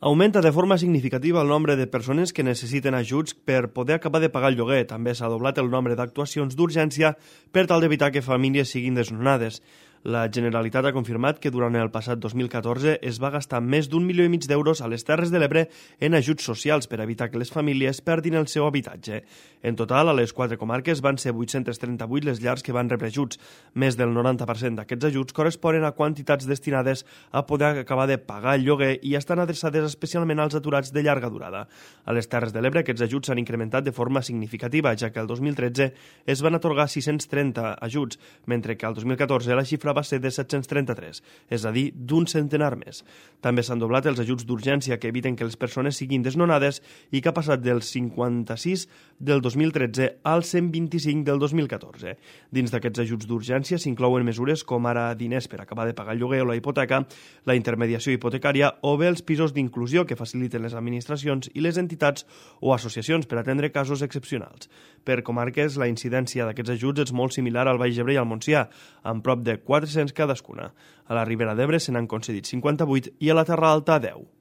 Augmenta de forma significativa el nombre de persones que necessiten ajuts per poder acabar de pagar el lloguer. També s'ha doblat el nombre d'actuacions d'urgència per tal d'evitar que famílies siguin desnonades. La Generalitat ha confirmat que durant el passat 2014 es va gastar més d'1,5 milió d'euros a les Terres de l'Ebre en ajuts socials per evitar que les famílies perdin el seu habitatge. En total, a les 4 comarques van ser 838 les llars que van rebre ajuts. Més del 90% d'aquests ajuts corresponen a quantitats destinades a poder acabar de pagar el lloguer i estan adreçades especialment als aturats de llarga durada. A les Terres de l'Ebre aquests ajuts s'han incrementat de forma significativa, ja que el 2013 es van atorgar 630 ajuts, mentre que el 2014 la xifra va ser de 733, és a dir, d'un centenar més. També s'han doblat els ajuts d'urgència que eviten que les persones siguin desnonades i que ha passat del 56 del 2013 al 125 del 2014. Dins d'aquests ajuts d'urgència s'inclouen mesures com ara diners per acabar de pagar el lloguer o la hipoteca, la intermediació hipotecària o bé els pisos d'inclusió que faciliten les administracions i les entitats o associacions per atendre casos excepcionals. Per comarques, la incidència d'aquests ajuts és molt similar al Baix Ebre i al Montsià, amb prop de 400 cadascuna. A la Ribera d'Ebre se n'han concedit 58 i a la Terra Alta 10.